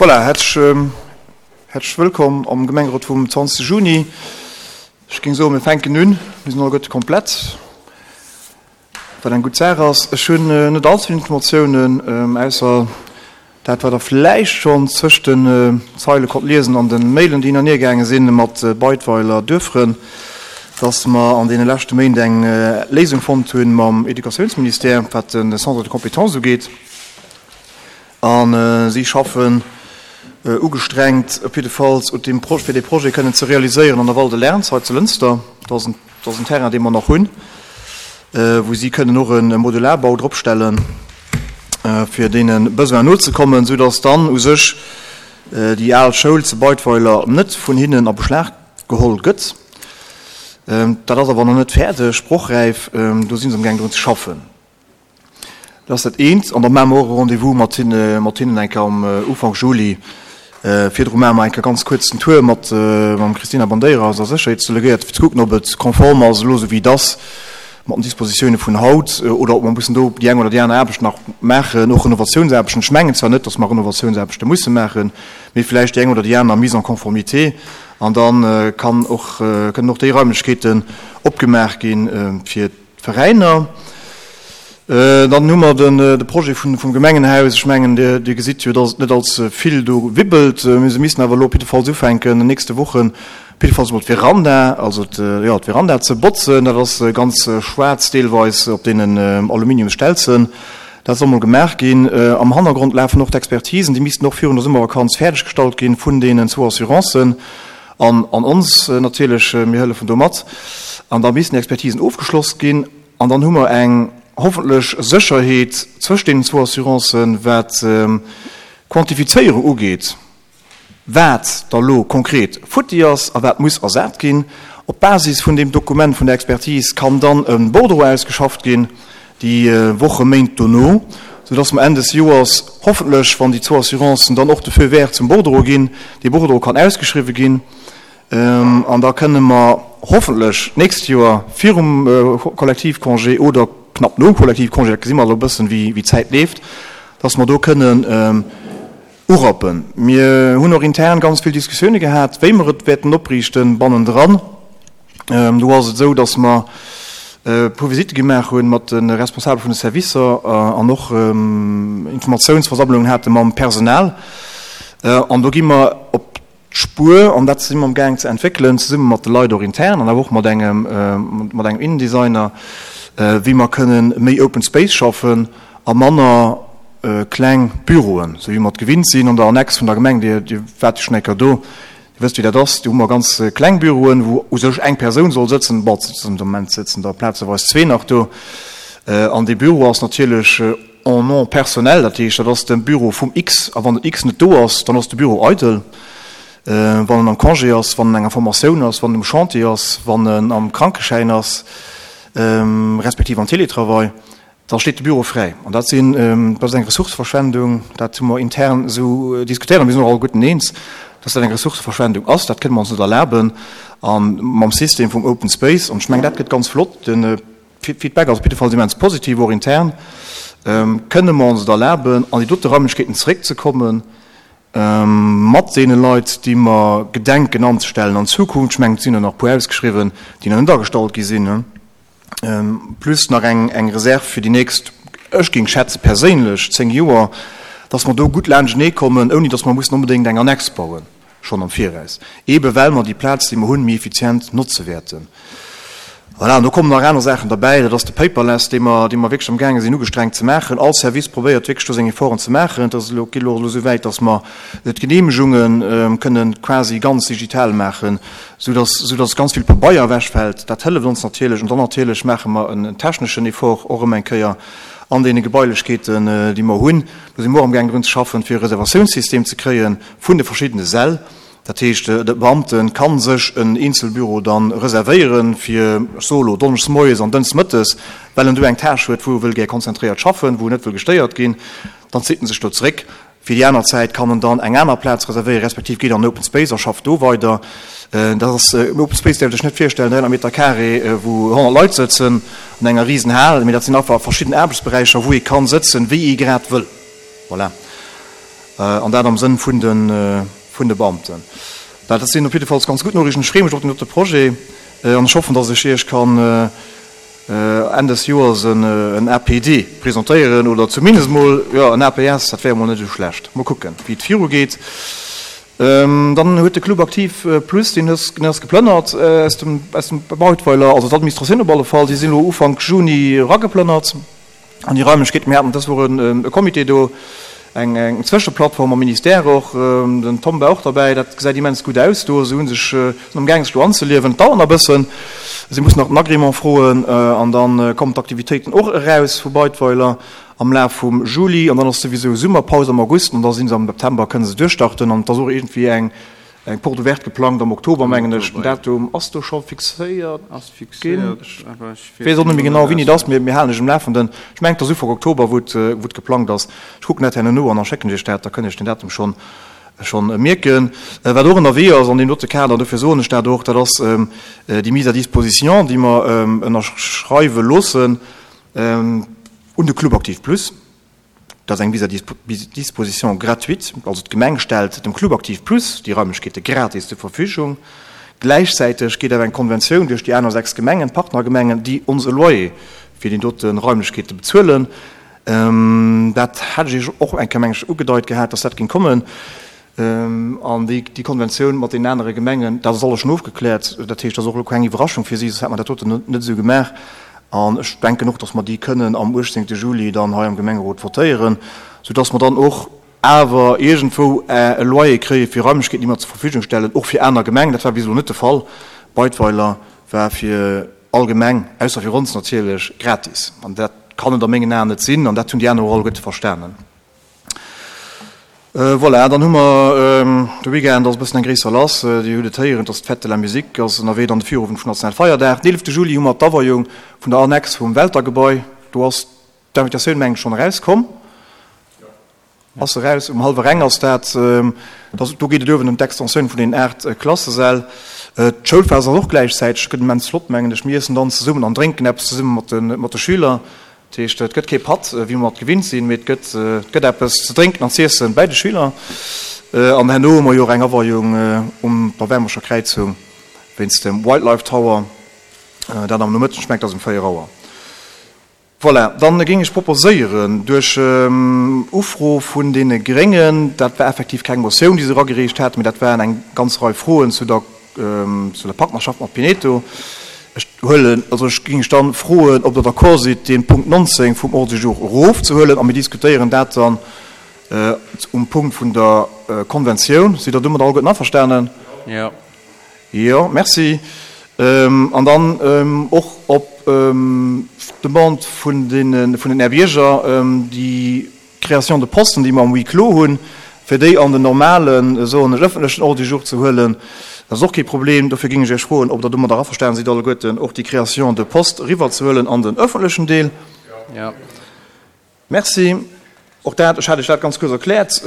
Voilà, häerzlech wëllkomm am Gemengerot vum 20 Juni. Ech géing soen, mir fänken un. Mir sinn alleguerte komplett, wat eng gutt Saach ass. Ech hunn net allze vill Informatiounen, ausser dat, wat Der vläicht schonn zwëscht den Zeile konnt liesen an de Mailen, déi hin an hier gaange sinn mat Beidweiler Duerffrënn, dass mer an deene leschte Méint eng Léisung fonnt hu mam Educatiounsministère, wat de Centre de compétences ugeet. A si schaffen ugestrengt op jiddefalls un deem Projet, fir dee Projet kënnen ze realiséieren an der Val de Lerns hei zu Lënster. Dat ass en, dat ass en Terrain, dee mer nach hunn, wou si kënnen och e Modularbau dropstellen, fir deene Besoinen nozekommen, soudass dann u sech déi al Schoul zu Beidweiler net vun hinnen a Beschlag geholl gëtt. Dat ass awer nach net fäerdeg, sprochräif. Do si se amgaang drun ze schaffen. Dat ass dat eent. An da maache mer och e Rendez-vous mat hinne, mat hinnen eng Kéier am Ufank Juli. Virdru maache mer eng Kéier ganz kuerz den Tour mat, mam Christina Bandeira, eiser Sécherheetsdelegéiert, fir ze kucken, ob et konform ass elo esou wéi et ass, mat den Dispositioune vun haut, oder ob mer mussen do déi eng oder déi aner Aarbecht nach maachen, och Renovatiounsaarbechten. Ech mengen zwar net, datt mer Renovatiounsaarbechte musse maachen, mee vläicht déi eng oder déi aner Mise en conformité. An da kann och, kënnen och déi Raimlechkeeten opgemaach ginn, fir Veräiner. Dann hu mer de Projet vum Gemengenhaus. Ech mengen, Dir gesitt jo, dass et net allze vill do wibbelt. Mee se missten awer elo op jiddefalls ufänken, an den nächste Wochen op jiddefalls emol d'Veranda, also jo, d'Veranda ze botzen. Dat ass ganz schwaarz deelweis op deenen Aluminiumsstelzen. Dat soll mol gemaach ginn. Am Hannergrond lafen och d'Expertisen. Déi missten och virun der Summervakanz fäerdeggestallt ginn vun deenen zwou Assurancen. An an ons natierlech, mir hëllefen do mat. An da missten déi Expertisen ofgeschloss ginn. An dann hu mer eng hoffentlech Sécherheet zwëscht deenen zwou Assurancen, wat d'Quantifizéierung ugeet, wat da lo konkret futti ass a wat muss ersat ginn. Op Basis vun deem Dokument vun der Expertise kann dann e Bordereau ausgeschafft ginn, déi Woche, Méint dono, soudass mer Enn des Joers hoffentlech, wann déi zwou Assurancen dann och de Feu vert zum Bordereau ginn, dee Bordereau kann ausgeschriwwen ginn an da kënne mer hoffentlech d'nächst Joer virum Kollektivcongé oder knapp nom Kollektivcongé, dat gesi mer elo e bëssen, wéi d'Zäit leeft, dass mer do kënnen urappen. Mir hunn och intern ganz vill Diskussioune gehat, wéi mer et wäerten opriichten bannendran. Do ass et esou, datt mer e puer Visitte gemaach hu mat de Responsabele vun de Servicer an och Informatiounsversammlungen hate mam Personal. An do gi mer op d'Spuer, an dat si mer amgaang ze entwéckelen, zesumme mat de Leit och intern an awer och mat engem, mat engem Innendesigner, wéi mer kënnen méi Open Space schaffen a manner kleng Büroen, esou wéi mer et gewinnt sinn an der Annex vun der Gemeng. Dir, Dir waart jo schonn eng Kéier do, Dir wësst, wéi dat ass. Do hu mer ganz kleng Büroen, wou u sech eng Persoun soll sëtzen. Bon, de Moment sëtzen der plazeweis zwee nach do. An dee Büro ass natierlech en nom personnel, dat heescht, dat ass de Büro vum X. A wann den X net do ass, dann ass de Büro eidel. Wann en am Congé ass, wann en enger Formatioun ass, wann en um Chantier ass, wann en am Krankeschäin ass, respektiv am Télétravail, da steet de Büro fräi. An dat sinn, dat ass eng Ressourceverschwendung, dat hu mer intern esou diskutéiert a mir sinn och alleguerten eens, dass dat eng Ressourceverschwendung ass. Dat kënne mer ons net erlaben. A mam System vum Open Space, an ech mengen, dat gëtt ganz flott, de Feedback ass op jidde Fall immens positiv, och intern, kënne mer ons et erlaben, an déi dote Raimlechkeeten zeréckzekommen, mat deene Leit, déi mer gedenken anzestellen an Zukunft. Ech mengen, et sinn der nach e puer ausgeschriwwen, déi nach net agestallt gi sinn. plus nach eng eng Reserve fir déi nächst, ech géing schätze perséinlech, 10 Joer, dass mer do gutt laanschtenee kommen, ouni dass mer mussen onbedéngt eng Annex bauen, schonn am Viraus, eebe well mer déi Plaz, déi mer hunn, méi effizient notze wäerten. Voilà, an do kommen nach aner Saachen derbäi, dat ass de Paperless, dee mer, dee mer wierklech amgaange sinn ugestrengt ze maachen. All Service probéiert wierklech do seng Efforten ze maachen. Et ass elo, geet elo och elo esou wäit, dass mer d'Geneemegunge kënnen quasi ganz digital maachen, sou dass, sou dass ganz vill Pabeier ewechfält. Dat hëlleft ons natierlech. An dann natierlech maache mer en techneschen Effort och erëm eng Kéier an deene Gebailechkeeten, déi mer hunn. Do si mer och amgaang drun ze schaffen, fir e Reservatiounssystem ze kréie vun de verschiddene Säll. Dat heescht, de Beamte ka sech en Eenzelbüro da reservéieren, fir, ech soe elo, donneschdes moies an dënschdes mëttes, well en do eng Tâche huet, wou e wëll gär konzentréiert schaffen, wou en net wëll gestéiert ginn. Dann zitt en sech do zeréck. Fir déi aner Zäit kann en dann eng aner Plaz reservéieren, respektiv geet an den Open Space a schafft do weider. Dat ass, en Open Space däerft Iech net virstellen, 300 Meter carré, wou 100 Leit sëtzen an enger risen Hal, mee dat sinn einfach verschidden Aarbechtsberäicher, wou ee kann sëtzen, wéi ee grad wëll. Voilà. An dat am Sënn vun de, vun de Beamten. Dat sinn op jiddefalls ganz gutt Noriichten. Ech freeë mech op den dote Projet an ech hoffen, dass ech Iech kann Enn des Joers en APD presentéieren oder zumindest mol, jo, en APS, dat wär emol net esou schlecht. Mol kucken, wéi et virugeet. Dann huet de Club Aktiv Plus, deen ass geplënnert aus dem, aus dem Bautweiler, also d'Administratioun op alle Fall, déi sinn elo Ufank Juni erageplënnert. An déi Raimlechkeeten, mir haten dës Woch e Comité do, eng Zwëscheplattform am Ministère och, den Tom war och derbäi, dat gesäit immens gutt aus do. Se hu sech, sinn am gaangen sech do anzeliewen. Et dauert nach e bëssen, si mussen nach den Agrément froen an da kommen d'Aktivitéiten och eraus vu Beidweiler am Laf vum Juli an dann ass souwisou Summerpaus am August an da si se am September, kënne se duerchstarten an et ass och iergendwéi eng Eng Porte ouverte geplangt am Oktober, mengen ech. Den Datum ass do scho fixéiert ginn. Ech weess och net méi genau, wéini et ass, mee mir halen lech um Lafenden. Ech mengen, et ass Ufank Oktober, wou et geplangt ass. Ech kucken dat herno no an da schécken ech Iech dat, da kënnt Iech den Datum schonn schonn mierken. Wat och ënnerwee ass an deem dote Kader, dofir soen ech dat och, dat ass déi Mise à disposition, déi mer ënnerschreiwe loossen un de Club Aktiv Plus. Dat ass eng Mise à disposition gratuite, also d'Gemeng stellt dem Club Aktiv Plus déi Raimlechkeete gratis zur Verfügung. Gläichzäiteg geet awer eng Konventioun duerch déi aner 6 Gemengen, d'Partnergemengen, déi ons e Loyer fir déi dote Raimlechkeete bezuelen. Dat hat ech Iech och eng Kéier, meng ech, ugedeit gehat, dass dat géing kommen. An déi Konventioun mat deenen anere Gemengen, dat ass alles schonn ofgekläert. Dat heescht, dat ass och elo keng Iwwerraschung fir si, soss hätt mer dat doten net esou gemaach. An ech denken och, datt mer déi kënnen am 18. Juli dann hei am Gemengerot votéieren, soudatt mer dann och awer iergendwou e Loyer kréie fir Raimlechkeeten, déi mer zur Verfügung stellen, och fir aner Gemengen. Dat war bis elo net de Fall. Beidweiler war fir all Gemeng, ausser fir ons natierlech, gratis. An dat kann et a mengen Aen net sinn. An dat hunn déi aner och alleguerte verstanen. Voilà, dann hu mer de Weekend ass e bëssen eng gréisser lass. Dir hutt et héieren, et ass d'Fête de la Musique ass ënnerwee, dann de Virowend vum Nationalfeierdag. Den 11 Juli hu mer d'Aweiung vun der Annex vum Welter-Gebai. Do ass d'Invitatioun, mengen ech, schonn erauskomm. Ass eraus, um hallwer eng ass dat. Do geet et uewen ëm d'Extensioun vun den 8 Klassesäll. D'Schoulfest ass och gläichzäiteg, gëtt immens flott, mengen ech. Mir iessen dann zesummen an drénken eppes zesumme mat de Schüler. Dat heescht, et gëtt kee Patt, wéi mer et gewinnt sinn, mee et gëtt, et gëtt eppes ze drénken an z'iessen bäi de Schüler. An herno hu mer jo och eng Aweiung um der Wermescher Kräizung wéinst dem Wildlife Tower, dat am Nomëtten, ech mengen et ass um 4 Auer. Voilà, dann géing ech proposéieren, duerch Ufro vun deene Gréngen, dat war effektiv keng Motioun, déi se eragereecht haten, mee dat waren eng ganz Rei Froen zu der, zu der Partnerschaft mat Pineto. Ech huelen, also ech géing Iech dann froen, ob Der d'accord sidd, dee Punkt 19 vum Ordre du jour erofzehuelen a mir diskutéieren dat dann um Punkt vun der Konventioun. Sidd Der domat alleguerten averstanen? Jo. Jo, merci. An dann och op d'Demande vun den, vun den Här Bierger, déi Création de posten, déi mer am Huis clos hunn, fir déi an den normalen, soen ech, öffentlechen Ordre du jour ze huelen, dat ass och kee Problem. Dofir géing ech Iech froen, ob Der domadder averstanen sidd alleguerten, och déi Création de poste eriwwerzehuelen an den öffentlechen Deel. Jo. Merci. Och dat, ech hat Iech dat ganz kuerz erkläert,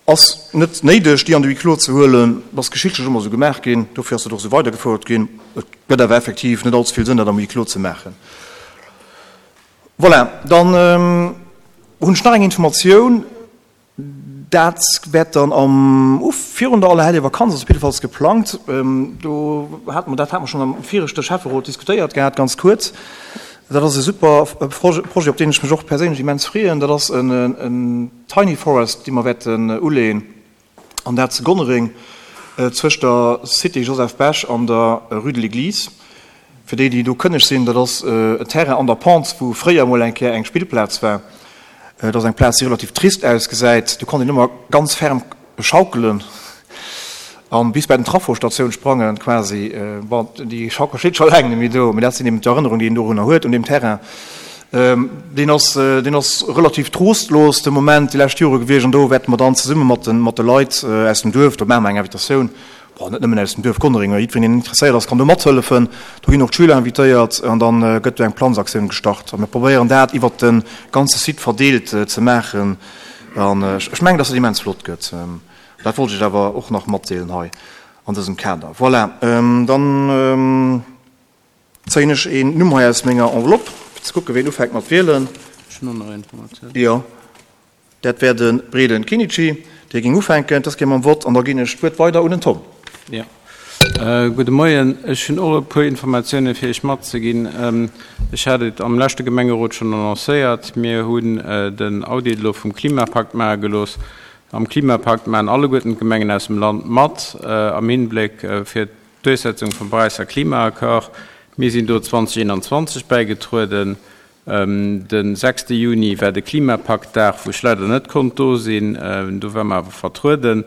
ass net néideg, déi an de Huis clos ze huelen. Dat ass geschichtlech ëmmer esou gemaach ginn, dofir ass dat och esou weidergefouert ginn. Et gëtt awer effektiv net allze vill Sënn, dat am Huis clos ze maachen. Voilà, dann hunn ech nach eng Informatioun. Dat wäert dann am Uf virun der Allerhellevakanz, ass op jiddefalls geplangt. Do hate mer, dat hate mer schonn am viregte Schäfferot diskutéiert gehat, ganz kuerz. Dat ass e super Projet, op deen ech mech och perséinlech immens freeën. Dat ass en Tiny Forest, dee mer wäerten uleeën. An dat zu Gonnereng, zwëscht der Cité Joseph Bech an der Rue de l'Église. Fir déi, déi do kënneg sinn, dat ass en Terrain an der Pente, wou fréier emol eng Kéier eng Spillplaz war. Et ass eng Plaz, déi relativ trist ausgesäit. Do konnt een ëmmer ganz ferm schaukelen an bis bei den Trafo-Statioun sprangen quasi. Bon, déi Schaukel steet scho laang net méi do, mee dat sinn eben d'Erënnerungen, déi een dorunner huet, un deem Terrain. Deen ass, deen ass relativ trostlos de Moment déi lescht Jore gewiescht an do wäerte mer dann zesumme mat de, mat de Leit aus dem Duerf, do maache mer eng Invitatioun, bon, net nëmmen aus dem Duerf Gonnereng, mä jiddwereen, deen interesséiert ass, kann do mathëllefen. Do ginn och d'Schüler invitéiert an da gëtt do eng Planzaktioun gestart a mir probéieren dat iwwert de ganze Site verdeelt ze maachen an ech mengen, dass dat immens flott gëtt. Dat wollt ech Iech awer och nach matdeelen hei an dësem Kader. Voilà, dann. Zéien ech een Numm hei aus menger Enveloppe, fir ze kucken, ween ufänkt mat wielen. Ech hunn och nach Informatioun. Jo. Dat wär de Breden Kinnici, dee géing ufänken. Dës Kéier mam Vott an da ginn ech d'Wuert weider un den Tom. Jo, gudde Moien. Ech hunn och e puer Informatiounen, fir Iech matzeginn. Ech hat et am leschte Gemengerot schonn annoncéiert, Mir hunn den Audit elo vum Klimapakt maache gelooss. Am Klimapakt maachen alleguerten d'Gemengen aus dem Land mat, am Hinbléck fir d'Duerchsetzung vum Paräisser Klimaaccord. Mir sinn do 2021 bäigetrueden. De sechste Juni war de Klimapaktdag, wou ech leider net konnt do sinn. Do ware mer awer vertrueden.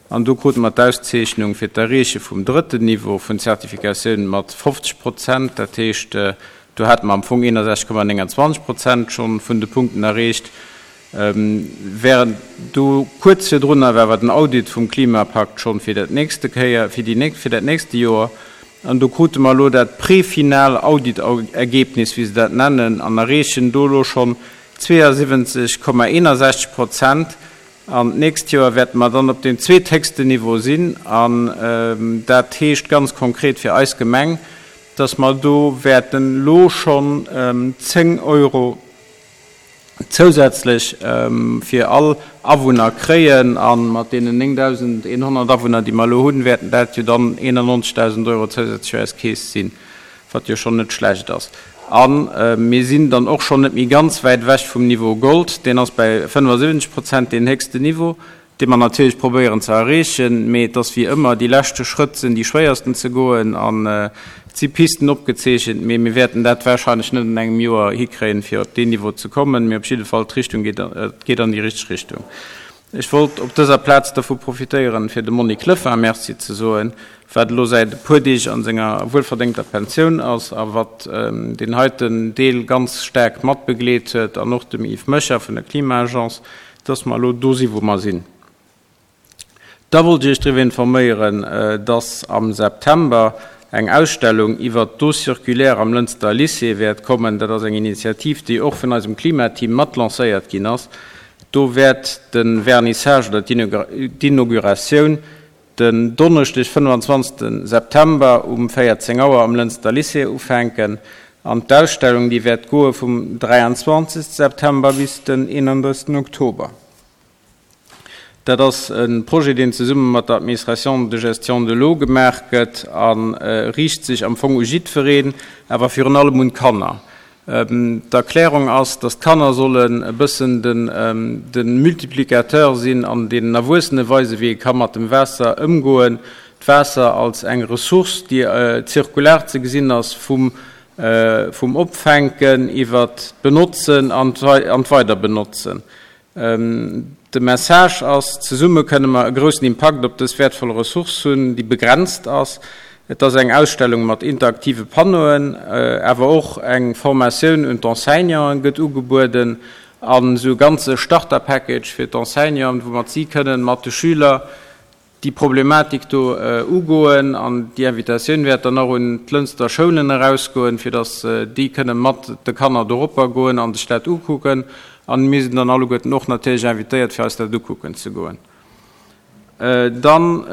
An do krute mer d'Auszeechnung fir d'Erreeche vum drëtten Niveau vun Zertifikatioun mat 50 Prozent. Dat heescht, do hate mer am Fong 61,29 Prozent schonn vun de Punkten erreecht. Während do kuerz virdrunner war awer den Audit vum Klimapakt schonn fir dat nächste Kéier, fir déi nächst, fir dat nächste Joer. An do krute mer elo dat prefinal Auditergebnis, wéi se dat nennen, an erreechen do elo schonn 72,61 Prozent. An d'nächst Joer wäerte mer dann op deem zweethéchsten Niveau sinn. An dat heescht ganz konkret fir eis Gemeng, dass mer do wäerten elo schonn 10 Euro zousätzlech fir all Awunner kréien. A mat deenen 9.100 Awunner, déi mer elo hunn, wäerten dat jo dann 91.000 Euro zousätzlech fir eis Keess sinn, wat jo schonn net schlecht ass. A mir sinn dann och schonn net méi ganz wäit ewech vum Niveau Gold, deen ass bei 75 Prozent, deen héchsten Niveau. dee mer natierlech probéieren ze erreechen, mee et ass wéi ëmmer, déi leschte Schrëtt sinn déi schwéiersten ze goen an et si Pisten opgezeechent, mee mir wäerten dat wahrscheinlech net an engem Joer hikréien, fir op deen Niveau ze kommen, mee op jidde Fall, d'Richtung geet, et geet an déi richteg Richtung. Ech wollt op dëser Plaz dervu profitéieren, fir dem Monique Lefin Merci ze soen, wat elo säit e puer Deeg a senger wuelverdéngter Pensioun ass a wat deen heiten Deel ganz staark matbegleet huet, an och dem Yves Mecher vun der Klima-Agence, dass mer elo do si wou mer sinn. Da wollt ech Iech driwwer informéieren, dass am September eng Ausstellung iwwert d'Eau circulaire am Lënster Lycée wäert kommen. Dat ass eng Initiativ, déi och vun eisem Klimateam mat lancéiert ginn ass. Do wäert de Vernissage oder d'Inauguratioun den Donneschdeg, 25 September um 14 Auer am Lënster Lycée ufänken an d'Ausstellung déi wäert goe vum 23 September bis den 31 Oktober. Dat ass e Projet deen zesumme mat der Administration de gestion de l'eau gemaach gëtt a riicht sech am Fong u jiddwereen, awer virun allem un d'Kanner. D'Erklärung ass, datt d'Kanner sollen e bëssen de Multiplicateur sinn an deenen Erwuessene weisen, wéi ee ka mat dem Waasser ëmgoen, d'Waasser als eng Ressource, déi zirkular ze gesinn ass, vum Opfänken iwwert d'Benotzen an d'Weiderbenotzen. De Message ass, Zesumme kënne mer e groussen Impakt op dës wäertvoll Ressource hunn, déi begrenzt ass. Et ass eng Ausstellung mat interaktive Panneauen, awer och eng Formatioun un d'Enseignanten gëtt ugebueden an esou e ganze Starter-Package fir d'Enseignanten, woumat si kënnen mat de Schüler déi Problematik do ugoen an déi Invitatioun wäert dann och un d'Lënster Schoulen erausgoen, fir datt déi kënne mat de Kanner doropper goen a sech dat ukucken. A mir sinn dann alleguerten och natierlech invitéiert, fir eis dat ukucken ze goen. Dann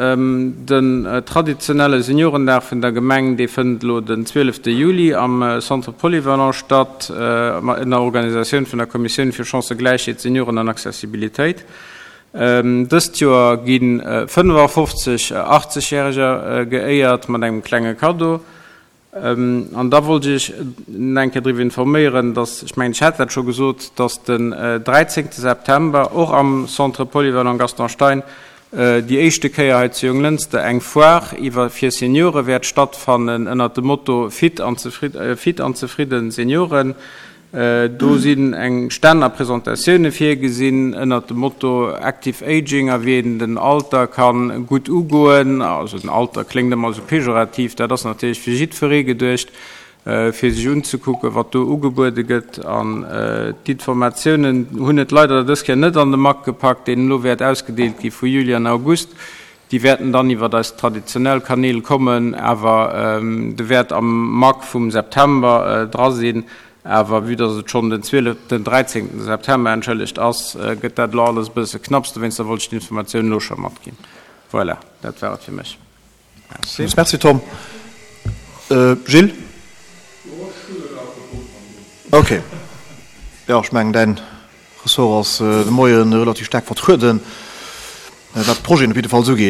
den traditionelle Seniorendag vun der Gemeng, dee fënnt elo den 12 Juli am Centre Polyvalent statt, ënner Organisatioun vun der Kommissioun fir Chancëgläichheet, Senioren an Accessibilitéit. Dëst Joer gi 55 80 Järeger geéiert mat engem klenge Kaddo. An da wollt ech Iech nach eng Kéier driwwer informéieren, dass, ech mengen ech hat dat scho gesot, dass den 13 September och am Centre Polyvalent Gaston Stein déi éischte Kéier hei zu Jonglënster eng Foire iwwer fir Seniore wäert stattfannen ënnert dem Motto Fit an zefridden Senioren. Do sinn eng Stänn a Presentatioune virgesinn ënnert dem Motto Active Aging a wéi een den Alter ka gutt ugoen. Also den Alter kléngt ëmmer esou pejorativ, dat ass natierlech fir jiddweree geduecht, fir sech unzekucken, wat do ugebuede gëtt. An d'Informatiounen hunn et leider dës Kéier net an de Mac gepackt, deen elo wäert ausgedeelt gi vu Juli an August. Déi wäerten dann iwwert eis traditionell Kanäl kommen, awer de wäert am Mac vum September dra sinn. Awer vue dass et schonn den 12, den 13 September, entschëllegt, ass, gëtt dat elo alles e bësse knapps. Dowéinster wollt ech d'Informatioun elo scho matginn. Voilà, dat war et fir mech. Merci. Merci Tom. Gilles? Ok. Jo, ech mengen däin. Ressort ass de Moie relativ staark vertrueden, wat d'Projeten op jiddefalls ugeet.